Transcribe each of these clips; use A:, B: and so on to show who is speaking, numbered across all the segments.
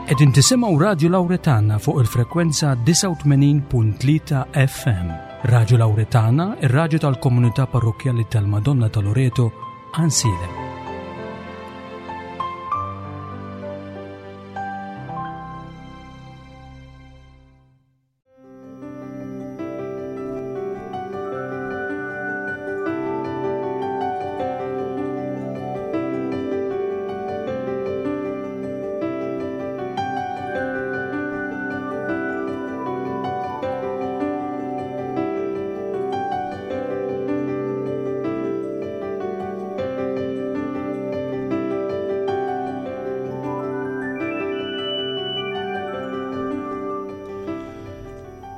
A: Qegħdin tisimgħu Radju Lawretana fuq il-frekwenza 89.3 FM. Radju Lawretana, ir-radju tal-komunità parrokkjali tal-Madonna ta' Loreto, Ansilem.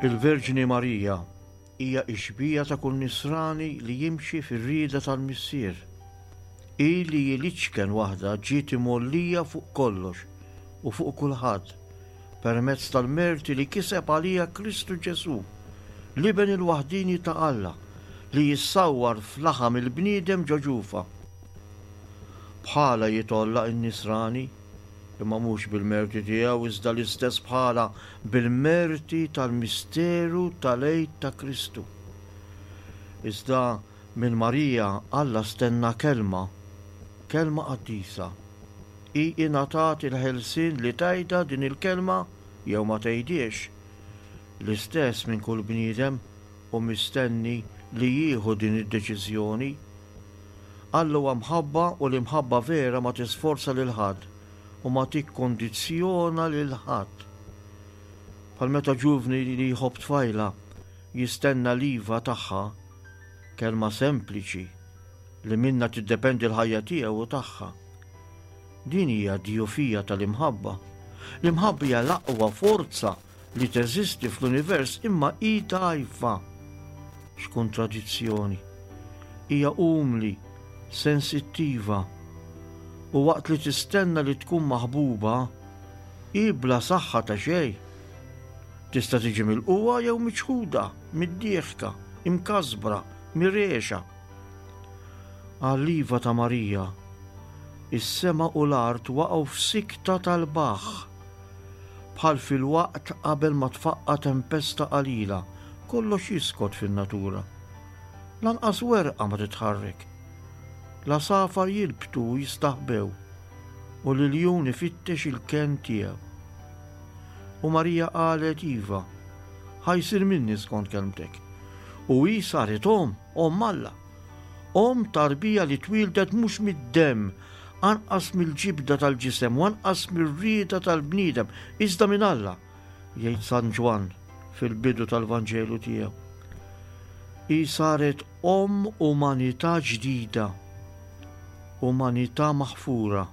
B: Il-Verġni Marija hija x-xbieha ta' kull nisrani li jimxi fir-rieda tal-Missier. Hi li hi l-iċken waħda ġiet imgħollija fuq kollox u fuq kulħadd permezz tal-merti li kiseb għaliha Kristu Ġesù, l-Iben il-waħdieni ta' Alla, li jissawwar f'laħam il-bniedem ġo ġufha. Bħalha jitgħolla n-nisrani, imma mhux bil-merti tiegħu iżda l-istess bħalha bil-merti tal-misteru tal-Għid ta' Kristu. Iżda minn Marija Alla stenna kelma, kelma qaddisa. Hi ingħatat il-ħelsien li tgħidha din il-kelma jew ma tgħidhiex. L-istess minn kull bniedem hu mistenni li jieħu din id-deċiżjoni. Alla huwa mħabba u l-imħabba vera ma tisforza lil ħadd u ma tikkondizzjona lil ħadd. Bħal meta ġuvni li jħobb tfajla jistenna l-iva tagħha, kelma sempliċi li minnha tiddependi l-ħajja tiegħu u tagħha. Din hija d-djufija tal-imħabba. L-imħabba hija l-aqwa forza li teżisti fl-univers imma hi dgħajfa. X'kontradizzjoni! Hija umli, sensittiva, u waqt li tistenna li tkun maħbuba, hi bla saħħa ta' xejn. Tista' tiġi milqugħa jew miċħuda, middieħka, imkasbra, mirexa. Għall-iva ta' Marija, is-sema u l-art waqgħu f'sikta tal-baħħ. Bħal fil-waqt qabel ma tfaqqa' tempesta qalila, kollox jiskot fin-natura. Lanqas werqa ma titħarrek. L-għasafar jilbtu u jistaħbew, u l-iljun ifittex il-kenn tiegħu. U Marija qalet, Iva, ħa jsir minni skont kelmtek. U hi saret omm, omm Alla. Omm tarbija li twieldet mhux mid-demm, anqas mill-ġibda tal-ġisem u anqas mir-rieda tal-bniedem, iżda minn Alla, jgħid San Ġwann fil-bidu tal-Vanġelu tiegħu. Hi saret omm umanità ġdida, umanità maħfura,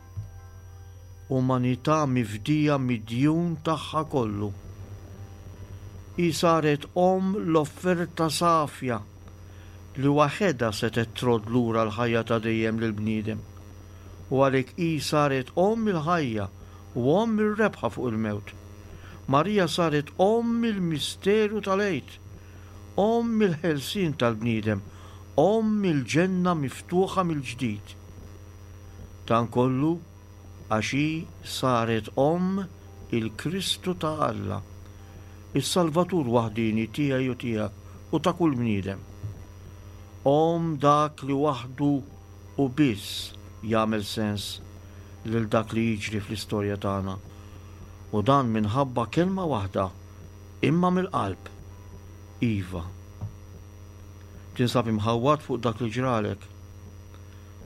B: umanità mifdija mid-djun tagħha kollu. Hi saret omm l-offerta safja li waħedha setgħet trodd lura l-ħajja ta' dejjem lill-bniedem, u għalhekk hi saret Omm il-ħajja u Omm ir-rebħa fuq il-mewt. Marija saret Omm il-misteru tal-Għid, Omm il-ħelsien tal-bniedem, Omm il-ġenna miftuħa mill-ġdid. Dan kollu għax hi saret Omm il-Kristu ta' Alla, is-Salvatur waħdieni tiegħi u tiegħek u ta' kull bniedem. Omm dak li waħdu u biss jagħmel sens lil dak li jiġri fl-istorja tagħna, u dan minħabba kelma waħda, imma mill-qalb, Iva. Tinsab imħawwad fuq dak li ġralek?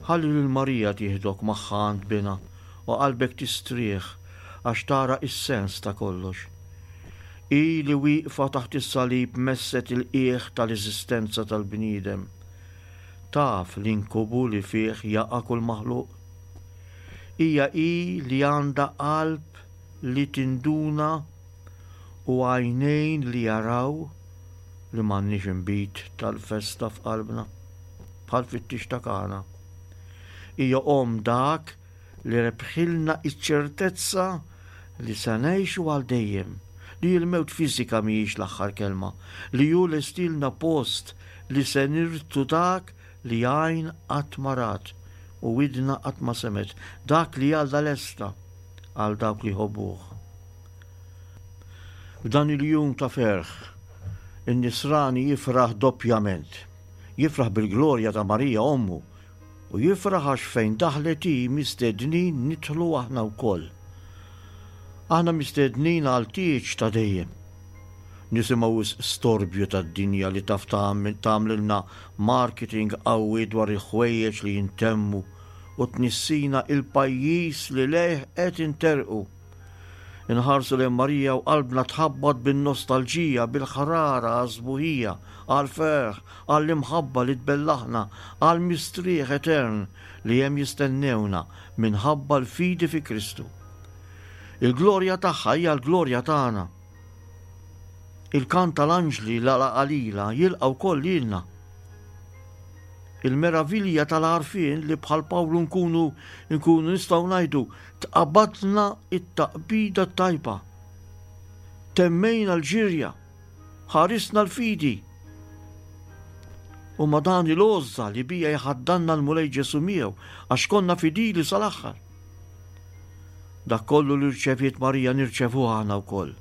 B: Ħalli lil Marija tieħdok magħha għand binha u qalbek tistrieħ għax tara s-sens ta' kollox. Hi li wieqfa taħt is-salib messet il-qiegħ tal-eżistenza tal-bniedem. Taf l-inkubu li fih jaqa' kull maħluq. Hija hi li għandha qalb li tinduna u għajnejn li jaraw li m'għandniex inbid tal-festa f'qalbna, bħal fit-tieġ ta' Kana. Hija omm dak li rebħilna ċ-ċertezza li se ngħixu għal dejjem, li l-mewt fiżika mhijiex l-aħħar kelma, li hu lestielna post li se nirtu dak li għajn qatt ma rat u widna qatt ma semgħet, dak li Alla lesta għal dawk li jħobbuh. F'dan il-jum ta' ferħ, in-Nisrani jifraħ doppjament. Jifraħ bil-glorja ta' Marija ommu u jifraħ għax fejn daħlet hi mistednin nidħlu aħna wkoll. Aħna mistednin għal tieġ ta' dejjem. Nisimgħu wisq storbju tad-dinja li taf tagħmlilna marketing qawwi dwar il-ħwejjeġ li jintemmu u tnissina il-pajjiż li lejh qed interqu. Inħarsu lejn Marija u qalbna tħabbat bin-nostalġija, bil-ħrara għas-sbuħija, għall-ferħ, għall-imħabba li tbellaħna, għall-mistrieħ etern li hemm jistennewna minħabba l-fidi fi Kristu. Il-glorja tagħha hija l-glorja tagħna. Il-kant tal-anġli la qalila jilqa' wkoll lilna. Il-meravilja tal-għarfien li bħal Pawlu nkunu nkunu nistgħu ngħidu tqabadna t-taqbida t-tajba. Temmejna l-ġirja, ħarisna l-fidi. U ma dan il-għożża li bija jħaddanna l-Mulej Ġesu miegħu għax konna fidili sal-aħħar. Dak kollu li rċeviet Marija nirċevuh aħna wkoll.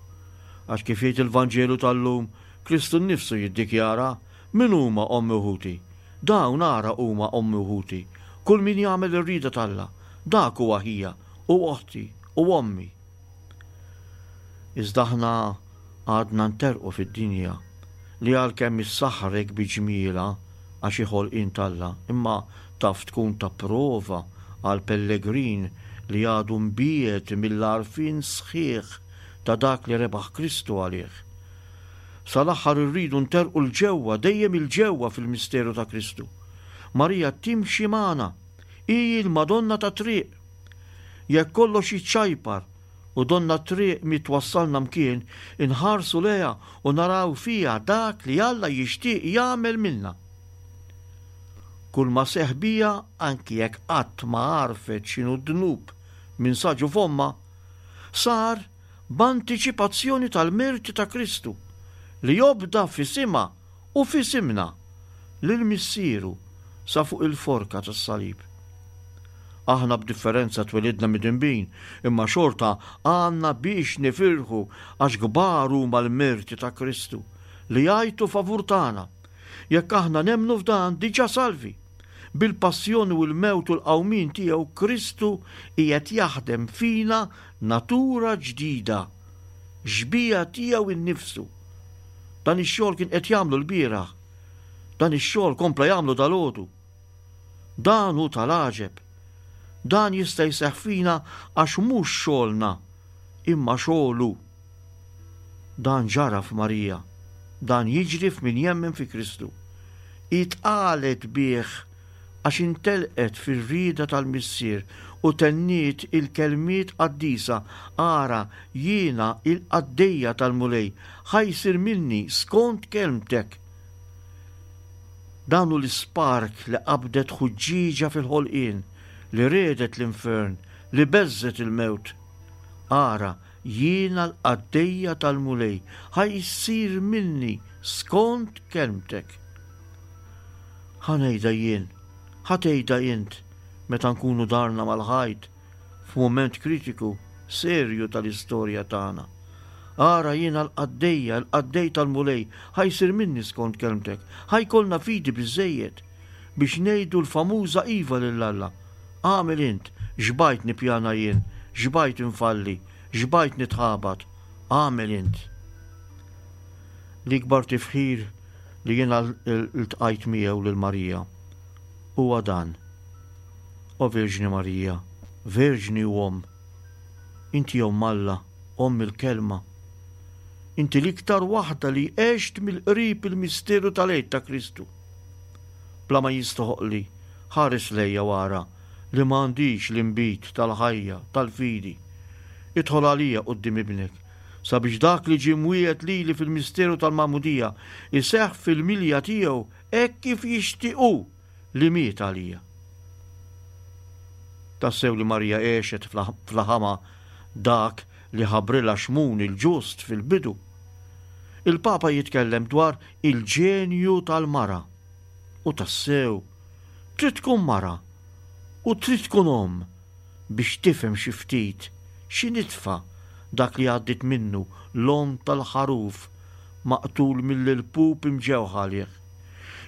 B: Għax kif jgħid il-Vanġelu tal-lum, Kristu nnifsu jiddikjara Min huma ommi u ħuti? Dawn ara huma ommi u ħuti, kull min jagħmel ir-rieda t'Alla, dak huwa ħija, u oħti, u ommi. Iżda aħna għadna nterrqu fid-dinja, li għalkemm issaħħrek bi ġmielha għax hi ħolqien t'Alla, imma taf tkun ta' prova għal pellegrin li għadu mbiegħed mill-għarfien sħiħ ta' dak li rebaħ Kristu għalih. Sal-aħħar irridu nterrqu 'l ġewwa, dejjem 'il ġewwa fil-misteru ta' Kristu. Marija timxi magħna. Hi l-Madonna tat-triq. Jekk kollox jiċċajpar u donna t-triq mhi twassalna mkien, inħarsu lejha u naraw fiha dak li Alla jixtieq jagħmel minna. Kulma seħħ biha, anki jekk qatt ma għarfet x'inhu d-dnub minn sa ġuf ommha, sar b'antiċipazzjoni tal-merti ta' Kristu, li obda f'isimha u f'isimna lil Missieru sa fuq il-forka tas-salib. Aħna b'differenza twelidna midinbin, imma xorta għandna biex nifirħu għax kbar huma l-merti ta' Kristu, li jgħajtu favur tagħna. Jekk aħna nemmnu f'dan, diġà salvi. Bil-passjoni u l-mewt u l-qawmien tiegħu Kristu qiegħed jaħdem fina natura ġdida, xbieha tiegħu nnifsu. Dan ix-xogħol kien qed jagħmlu lbieraħ. Dan ix-xogħol kompla jagħmlu dalgħodu. Dan hu tal-għaġeb. Dan jista' jseħħ fina għax mhux xogħolna, imma xogħlu. Dan ġara f'Marija. Dan jiġri f'min jemmen fi Kristu. Hi tqalet bih għax intelqet fir-rieda tal-Missier u tenniet il-kelmiet qaddisa, Ara, jiena il-qaddejja tal-Mulej, ħa jsir minni skont kelmtek. Dan hu l-ispark li qabdet ħuġġieġa fil-ħolqien, li riegħdet l-infern, li beżżgħet il-mewt. Ara, jiena l-qaddejja tal-Mulej, ħa jsir minni skont kelmtek. Ħa ngħidha jien, ħa tgħidha int meta nkunu darna mal-ħajt f'mument kritiku, serju tal-istorja tagħna. Ara jiena l-qaddejja, il-qaddej tal-Mulej, ħa jsir minni skont kelmtek, ħa jkollna fidi biżżejjed biex ngħidu l-famuża iva lil Alla. Agħmel int, xbajt nippjana jien, xbajt infalli, xbajt nitħabat, agħmel int. L-ikbar tifħir li jiena ltqajt miegħu lil Marija huwa dan, O Verġni Marija, Verġni u Omm, inti Omm Alla, Omm il-Kelma. Inti l-iktar waħda li għext mill-qrib il-misteru tal-Għid ta' Kristu. Bla ma jistoħoqli, ħares lejja u ara li ma għandix l-inbid tal-ħajja, tal-fidi. Idħol għalija quddiem Ibnek, sabiex dak li ġie mwiegħed lili fil-misteru tal-Magħmudija jseħħ fil-milja tiegħu hekk kif jixtieq hu li miet għalija. Tassew li Marija għexet fl-ħama dak li ħabbrilha Xmun il-ġust fil-bidu. Il-Papa jitkellem dwar il-ġenju tal-mara. U tassew, trid tkun mara u trid tkun omm biex tifhem xi ftit, xi nitfa. Dak li għaddiet minnu l-omm tal-ħaruf maqtul mill-ilpup imġewħa għalih.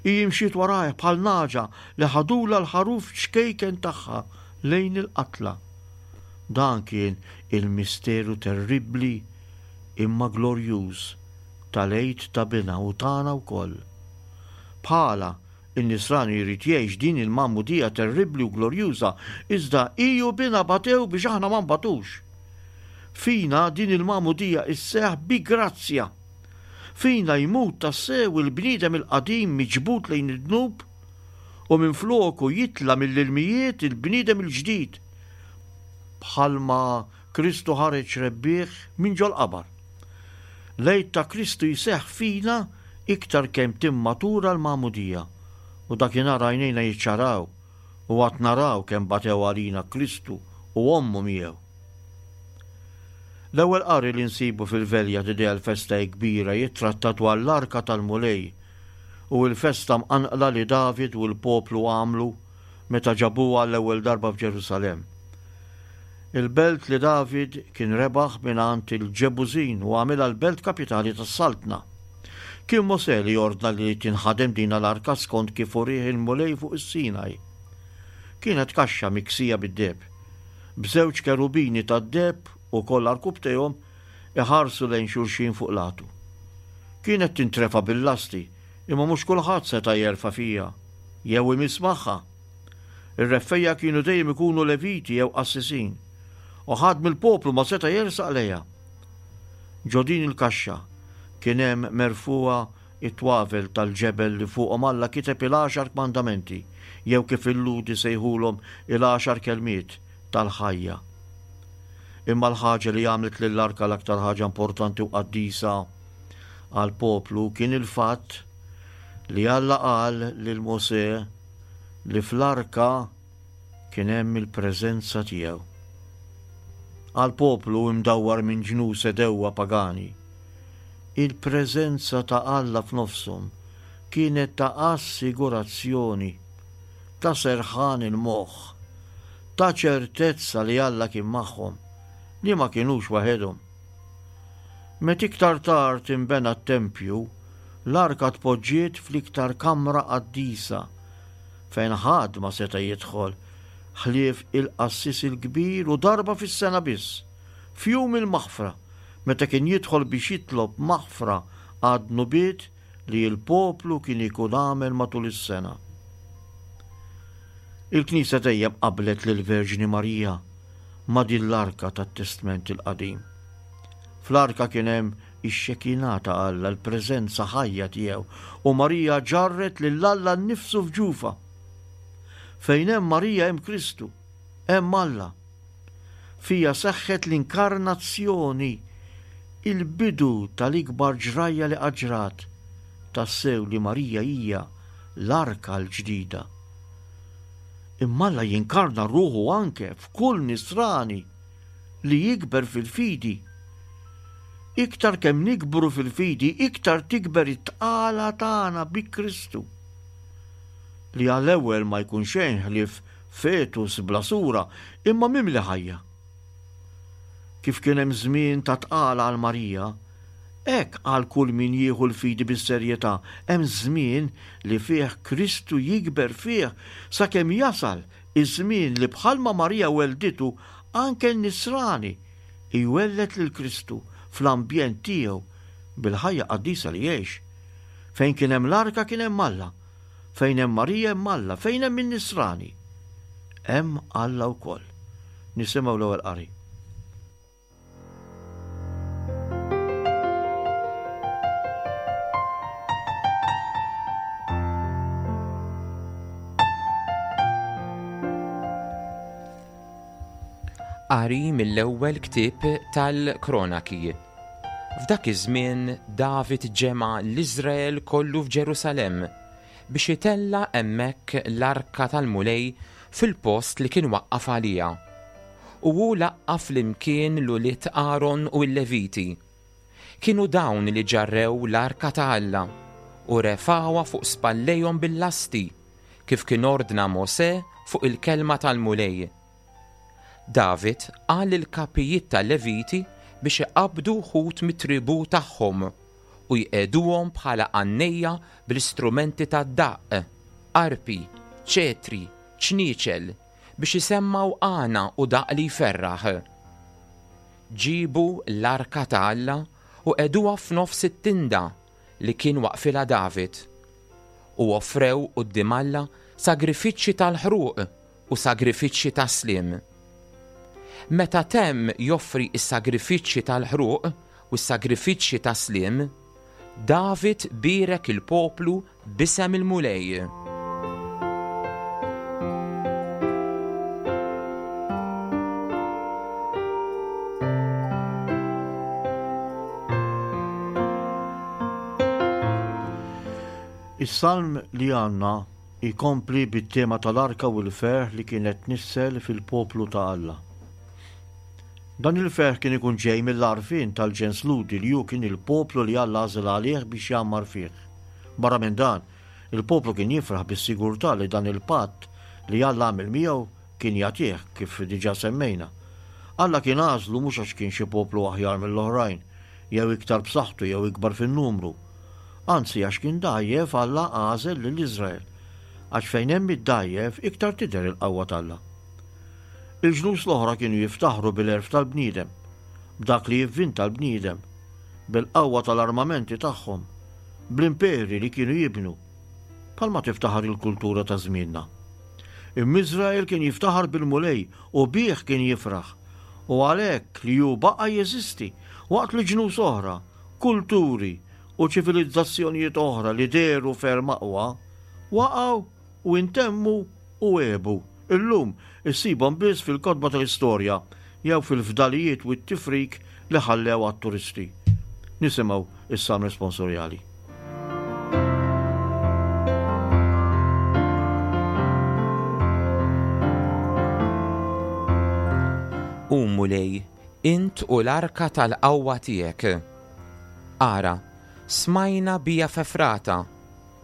B: Hi imxiet warajh bħal nagħġa li ħadulha l-ħaruf ċkejken tagħha lejn il-qatla. Dan kien il-misteru terribbli imma glorjuż tal-Għid ta' Binha u tagħna wkoll. Bħalha, in-Nisrani jrid jgħix din il-magħmudija terribbli u glorjuża, iżda hi u Binha batew biex aħna ma nbatux. Fina din il-magħmudija sseħħ bi grazzja. Fina jmut tassew il-bniedem il-qadim miġbud lejn id-dnub u minfloku jitla' mill-ilmijiet il-bniedem il-ġdid, bħalma Kristu ħareġ rebbieħ minn ġol-qabar. L-Għid ta' Kristu jseħħ fina iktar kemm timmatura l-magħmudija, u dakinhar għajnejna jiċċaraw u għad naraw kemm batew għalina Kristu u Ommu miegħu. L-ewwel qari li nsibu fil-Velja t'Idea l-Festa hi Kbira jittratta dwar l-Arka tal-Mulej u l-festa mqanqla li David u l-poplu għamlu meta ġabuha għall-ewwel darba f'Ġerusalemm. Il-belt li David kien rebaħ mingħand il-Ġebużin u għamilha l-belt kapitali tas-saltna. Kien Mosè li ordna li tinħadem din l-arka skont kif urieh il-Mulej fuq is-Sinaj. Kienet kaxxa miksija bid-deheb, b'żewġ kerubini tad-deheb ukoll għarkupptejhom iħarsu lejn xulxin fuq l-għatu. Kienet tintrefa' bil-lasti, imma mhux kulħadd seta' jerfa' fiha jew imiss magħha. Ir-reffejja kienu dejjem ikunu Leviti jew qassisin, u ħadd mill-poplu ma seta' jersaq lejha. Ġo din il-kaxxa kien hemm merfugħa t-twavel tal-ġebel li fuqhom Alla kiteb il-Għaxar Kmandamenti, jew kif il-Lhud isejħulhom il-Għaxar Kelmiet tal-ħajja. Imma l-ħaġa li għamlet lill-Arka l-aktar ħaġa importanti u qaddisa għall-poplu kien il-fatt li Alla qal lil Mosè li fl-arka kien hemm il-preżenza tiegħu. Għal poplu imdawwar minn ġnus għedewwa pagani, il-preżenza ta' Alla f'nofshom kienet ta' assigurazzjoni, ta' serħan il-moħħ, ta' ċertezza li Alla kien magħhom, li ma kinux waħedhom. Meta iktar tard inbena t-tempju, l-arka tpoġġiet fl-iktar kamra qaddisa, fejn ħadd ma seta' jidħol ħlief il-qassis il-kbir u darba fis-sena biss, f'Jum il-Maħfra, meta kien jidħol biex jitlob maħfra għad-dnubiet li l-poplu kien ikun għamel matul is-sena. Il-Knisja dejjem qabblet lill-Verġni Marija ma' din l-arka tat-Testment il-Qadim. Fl-arka kien hemm ix-Xekinah ta' Alla, l-preżenza ħajja tiegħu, u Marija ġarret lil Alla nnifsu f'ġufha. Fejn hemm Marija hemm Kristu, hemm Alla. Fiha seħħet l-inkarnazzjoni, il-bidu tal-ikbar ġrajja li qatt ġrat, tassew li Marija hija l-arka l-ġdida. Imma Alla jinkarna ruħu anke f'kull nisrani li jikber fil-fidi. Iktar kemm nikbru fil-fidi, iktar tikber it-tqala tagħna bi Kristu. Li għall-ewwel ma jkun xejn ħlief fetus bla sura, imma mimli ħajja. Kif kien hemm żmien ta' tqala għal Marija, hekk għal kull min jieħu l-fidi bis-serjetà hemm żmien li fih Kristu jikber fih sakemm jasal iż-żmien li bħalma Marija wellditu anke n-nisrani jwelled lil Kristu fl-ambjent tiegħu bil-ħajja qaddisa li jgħix. Fejn kien hemm l-arka kien hemm Alla. Fejn hemm Marija hemm Alla, fejn hemm in-nisrani hemm Alla wkoll. Nisimgħu l-ewwel qari.
C: Qari mill-ewwel ktieb tal-Kronaki. F'dak iż-żmien David ġema' l-Iżrael kollu f'Ġerusalemm biex itella' hemmhekk l-arka tal-Mulej fil-post li kien waqqaf għaliha. U hu laqqa' flimkien l-ulied Aron u l-Leviti. Kienu dawn li ġarrew l-arka ta' Alla u refgħuha fuq spallejhom bil-lasti, kif kien ordna Mosè fuq il-kelma tal-Mulej. David qal lill-kapijiet tal-Leviti biex iqabbdu wħud mit-tribù tagħhom u jqiegħduhom bħala għannejja bl-istrumenti tad-daqq, arpi, ċetri, ċnieċel, biex isemmgħu għana u daqq li jferraħ. Ġiebu l-arka ta' Alla u qegħduha f'nofs it-tinda li kien waqfilha David, u offrew quddiem Alla sagrifiċċji tal-ħruq u sagrifiċċji tas-sliem. Meta temm joffri s-sagrifiċċji tal-ħruq u s-sagrifiċċji tas-sliem, David bierek il-poplu b'isem il-Mulej.
B: Is-salm li għandna jkompli bit-tema tal-arka u l-ferħ li kienet tnissel fil-poplu ta' Alla. Dan il-ferħ kien ikun ġej mill-għarfien tal-ġens Lhudi li hu kien il-poplu li Alla għażel għalih biex jgħammar fih. Barra minn dan, il-poplu kien jifraħ bis-sigurtà li dan il-patt li Alla għamel miegħu kien jagħtih, kif diġà semmejna. Alla kien għażlu mhux għax kien xi poplu aħjar mill-oħrajn, jew iktar b'saħħtu jew ikbar fin-numru. Anzi, għax kien dgħajjef Alla għażel lil Iżrael, għax fejn hemm id-dgħajjef iktar tidher il-qawwa t'Alla. Il-ġnus l-oħra kienu jiftaħru bil-għerf tal-bniedem, b'dak li jivvinta l-bniedem, bil-qawwa tal-armamenti tagħhom, bl-imperi li kienu jibnu, bħalma tiftaħar il-kultura ta' żmienna. Imma Iżrael kien jiftaħar bil-Mulej u bih kien jifraħ, u għalhekk li hu baqa' jeżisti waqt li ġnus oħra, kulturi u ċivilizzazzjonijiet oħra li dehru ferm aqwa, waqgħu u intemmu u għebu. Illum issibhom biss fil-kotba tal-istorja jew fil-fdalijiet u t-tifrik li ħallew għat-turisti. Nisimgħu is-Salm Responsorjali.
C: Qum, Mulej, int u l-arka tal-qawwa tiegħek. Ara, smajna bija f'Efrata,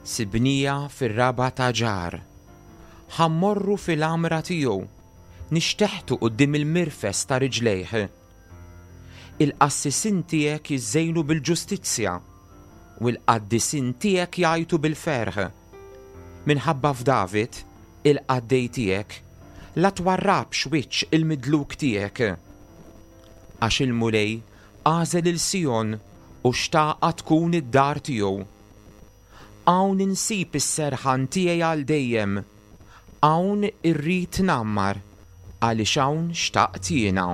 C: Sibnieha fir-raba' ta' ġar. Ħa mmorru fil-għamra tiegħu, nixteħtu quddiem il-mirfes ta' riġlejh. Il-qassisin tiegħek jiżżejnu bil-ġustizzja, u l-qaddisin tiegħek jgħajtu bil-ferħ. Minħabba f'David, il-qaddej tiegħek, la twarrabx wiċċ il-midluk tiegħek. Għax il-Mulej għażel 'il Sijon u xtaqha tkun id-dar tiegħu. Hawn insib is-serħan tiegħi għal dejjem. Hawn irrid ngħammar, għaliex hawn xtaqt jiena.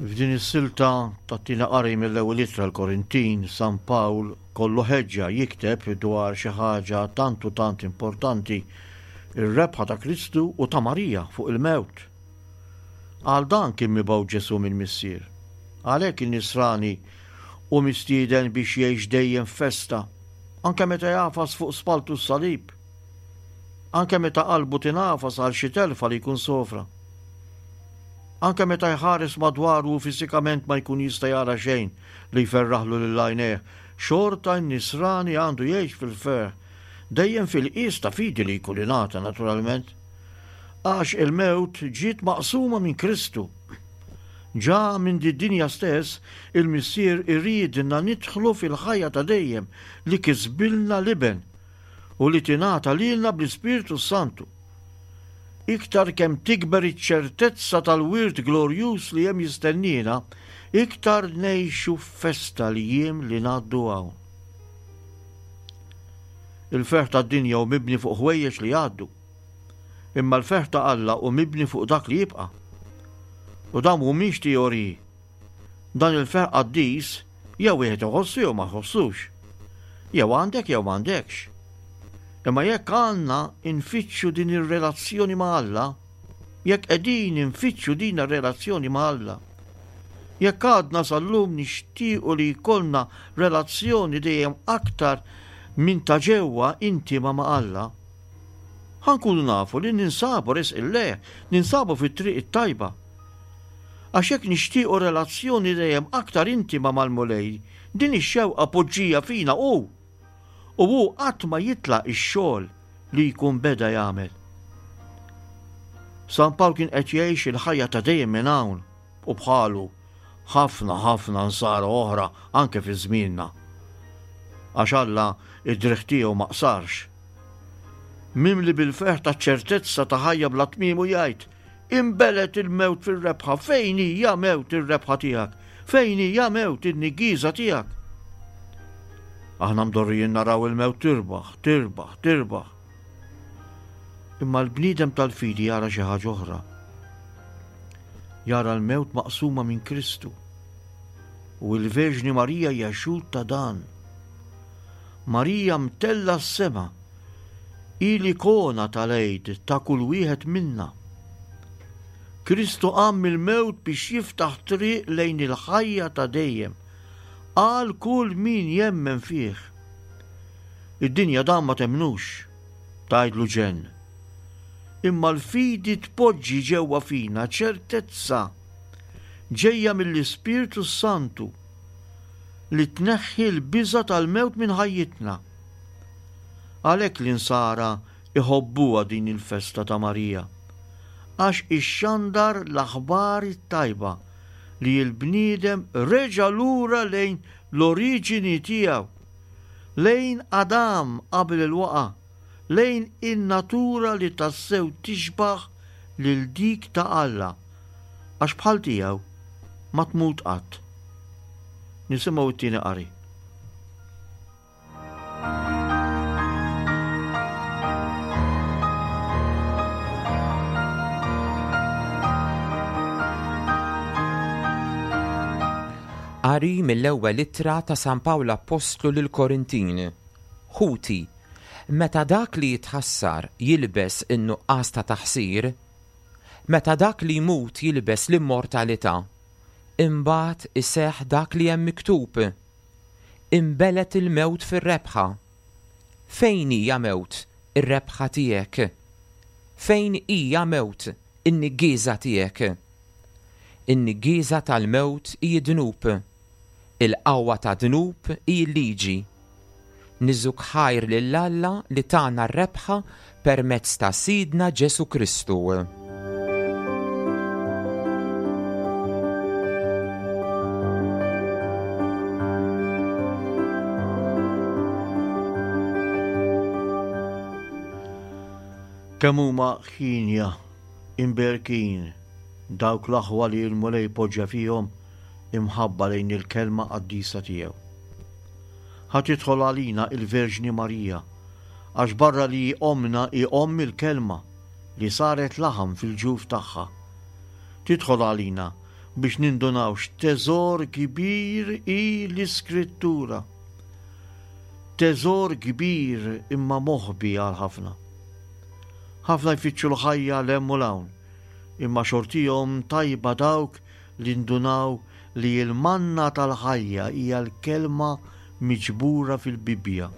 B: F'din is-silta tat-tieni qari mill-Ewwel Ittra l-Korintin, San Pawl kollu ħeġġa jikteb dwar xi ħaġa tant u tant importanti, ir-rebħa ta' Kristu u ta' Marija fuq il-mewt. Għal dan kien mibgħut Ġesù mill-Missier. Għalhekk in-Nisrani hu mistieden biex jgħix dejjem f'festa, anke meta jagħfas fuq spalltu s-salib, anke meta qalbu tingħafas għal xi telfa li jkun sofra. Anke meta jħares madwaru u fiżikament ma jkun jista' jara xejn li jferraħlu lil għajnejh, xorta n-Nisrani għandu jgħix fil-ferħ, dejjem fil-qies ta' fidi li jkun ingħata naturalment. Għax il-mewt ġiet maqsuma minn Kristu. Ġa minn did-dinja stess, il-Missier iriedna nidħlu fil-ħajja ta' dejjem li kisbilna l-Iben u li tingħata lilna bl-Ispirtu s-Santu. Iktar kemm tikber iċ-ċertezza tal-wirt glorjuż li hemm jistenniena, iktar ngħixu f'festa l-jiem li ngħaddu hawn. Il-ferħ tad-dinja hu mibni fuq ħwejjeġ li jgħaddu. Imma l-ferħ ta' Alla hu mibni fuq dak li jibqa'. U dawn mhumiex teoriji. Dan il-ferħ qaddis jew wieħed iħossu jew ma jħossux. Jew għandek jew m'għandekx. Imma jekk għandna nfittxu din ir-relazzjoni ma' Alla, jekk qegħdin infittxu din ir-relazzjoni ma' Alla, jekk għadna sal-lum nixtiequ li jkollna relazzjoni dejjem aktar minn ta' ġewwa intima ma' Alla, ħa nkunu nafu li ninsabu resqin lejh, ninsabu fit-triq it-tajba. Għax jekk nixtiequ relazzjoni dejjem aktar intima mal-Mulej, din ix-xewqa poġġija fina hu. U hu qatt ma jitlaq ix-xogħol li jkun beda jagħmel. San Pawl kien qed jgħix il-ħajja ta' dejjem minn hawn u bħalu ħafna ħafna nsara oħra anke fi żmienna. Għax Alla id-driegħ tiegħu ma qsarx. Mimli bil-ferħ taċ-ċertezza ta' ħajja bla tmiem u jgħid, Inbelgħet il-mewt fir-rebħa, fejn hi, ja mewt, ir-rebħa tiegħek? Fejn hi, ja mewt, in-niggieża tiegħek? Aħna mdorrijin naraw il-mewt tirbaħ, tirbaħ, tirbaħ. Imma l-bniedem tal-fidi jara xi ħaġa oħra. Jara l-mewt maqsuma minn Kristu. U l-Verġni Marija hija xhud ta' dan. Marija mtella s-sema Hi l-ikona tal-Għid ta' kull wieħed minna. Kristu qam mill-mewt biex jiftaħ triq lejn il-ħajja ta' dejjem għal kull min jemmen fih. Id-dinja dan ma temmnux, tgħidlu ġenn. Imma l-fidi tpoġġi ġewwa fina ċertezza ġejja mill-Ispirtu s-Santu li tneħħi l-biża' tal-mewt minn ħajjitna. Għalhekk l-Insara jħobbuha din il-festa ta' Marija, għax ixxandar l-aħbar it-tajba li l-bniedem reġa' lura lejn l-oriġini tiegħu, lejn Adam qabel il-waqgħa, lejn in-natura li tassew tixbah lil dik ta' Alla, għax bħal tiegħu ma tmut qatt. Nisimgħu t-tieni qari.
C: Qari mill-ewwel ittra ta' San Pawl Appostlu lill-Korintin. Ħuti, meta dak li jitħassar jilbes in-nuqqas ta' taħsir, meta dak li jmut jilbes l-immortalità, imbagħad iseħħ dak li hemm miktub, Inbelgħet il-mewt fir-rebħa. Fejn hi, ja mewt, ir-rebħa tiegħek? Fejn hi, ja mewt, in-niggieża tiegħek? In-niggieża tal-mewt hi d-dnub. Il-qawwa tad-dnub hi l-liġi. Niżuk ħajr lil Alla li tana r-rebħa permezz ta' Sidna Ġesù Kristu.
B: Kemm huma ħienja, imberkin, dawk l-aħwa li l-Mulej poġġa fihom imħabba lejn il-Kelma qaddisa tiegħu. Ħa tidħol għalina il-Verġni Marija, għax barra li hi ommna hi omm il-Kelma li saret laħam fil-ġuf tagħha. Tidħol għalina biex nindunaw x'teżor kbir hi l-Iskrittura. Teżor kbir imma moħbi għal ħafna. Ħafna jfittxu l-ħajja 'l hemm u 'l hawn, imma xortihom tajba dawk li ndunaw li l-manna tal-ħajja hija l-Kelma miġbura fil-Bibbja.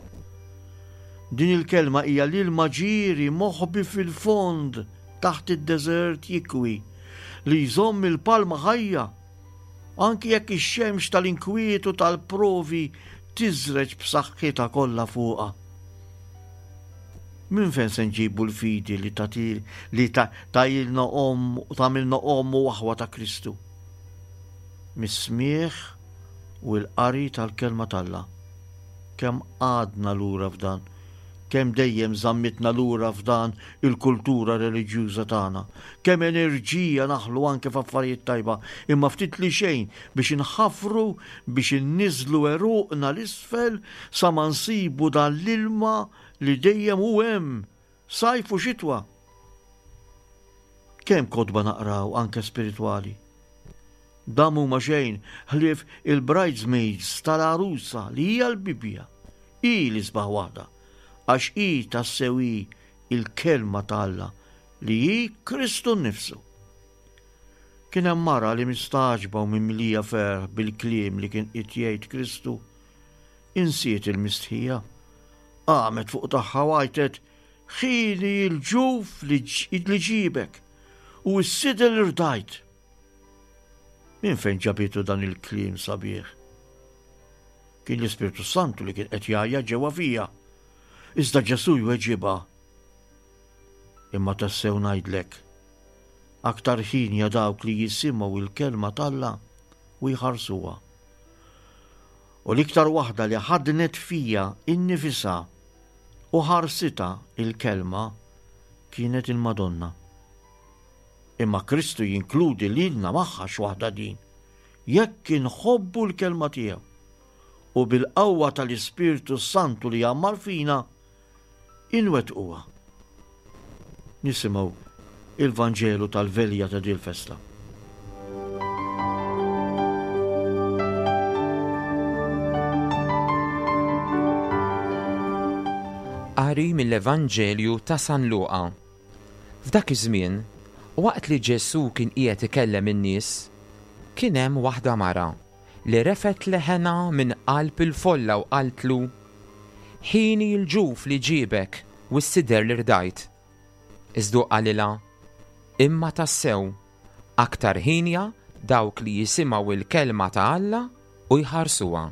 B: Din il-Kelma hija l-ilma ġieri moħbi fil-fond taħt id-deżert jikwi, li jżomm il-palma ħajja, anki jekk ix-xemx tal-inkwiet u tal-provi tiżreġ b'saħħitha kollha fuqha. Minn fejn se nġibu l-fidi li li tagħilna omm u tagħmilna omm u aħwa ta' Kristu? Mis-smigħ u l-qari tal-Kelma t'Alla. Kemm qgħadna lura f'dan, kemm dejjem żammitna lura f'dan il-kultura reliġjuża tagħna, kemm enerġija naħlu anke f'affarijiet tajba, imma ftit li xejn biex inħaffru biex inniżżlu għeruqna 'l isfel sa ma nsibu dan l-ilma li dejjem hu hemm, sajf u xitwa. Kemm kotba naqraw anke spiritwali. Dan m'huma xejn ħlief il-bridesmaids tal-għarusa li hija l-Bibbja. Hi l-isbaħ waħda, għax hi tassew hi l-Kelma ta' Alla li hi Kristu nnifsu. Kien hemm mara li mistagħġba u mimlija ferħ bil-kliem li kien qed jgħid Kristu, insiet il-mistħija. Qamet fuq tagħha u għajtet, Ħieni l-ġuf li ġiebek u s-sider li rdajt. Minn fejn ġabitu dan il-kliem sabiħ? Kien l-Ispirtu Santu li kien qed jgħajjat ġewwa fija. Iżda Ġesù jweġibha, Imma tassew ngħidlek, aktar ħienja dawk li jisimgħu l-kelma t'Alla u jħarsuha. U l-iktar waħda li ħaddnet fija innifisha u ħarsitha il-kelma kienet il-Madonna. Imma Kristu jinkludi lilna magħha x'waħda din, jekk inħobbu l-kelma tiegħu u bil-qawwa tal-Ispirtu s-Santu li jgħammar fina, inwettquha. Nisimgħu il-Vanġelu tal-velja ta' dil-festa.
C: Qari mill-Evanġelju ta' San Luqa. F'dak iż-żmien, waqt li Ġesù kien qiegħed ikellem in-nies, kien hemm waħda mara li refgħet leħenha minn qalb il-folla u qaltlu, Ħieni l-ġuf li ġiebek u s-sider li rdajt. Iżda hu qalilha, Imma tassew, aktar hienja dawk li jisimgħu l-kelma ta' Alla u jħarsuha.